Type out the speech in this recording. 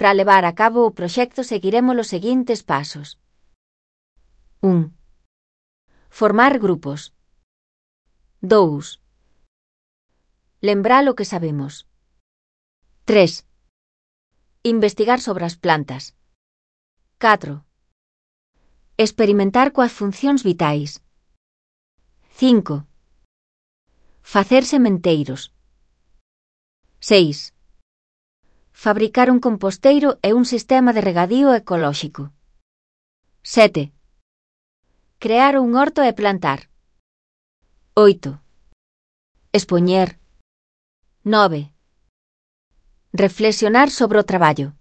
Para levar a cabo o proxecto seguiremos os seguintes pasos. 1. Formar grupos. 2. Lembrar o que sabemos. 3. Investigar sobre as plantas. 4. Experimentar coas funcións vitais. 5. Facer sementeiros. 6. Fabricar un composteiro e un sistema de regadío ecolóxico. 7. Crear un horto e plantar. 8. Expoñer. 9. Reflexionar sobre o traballo.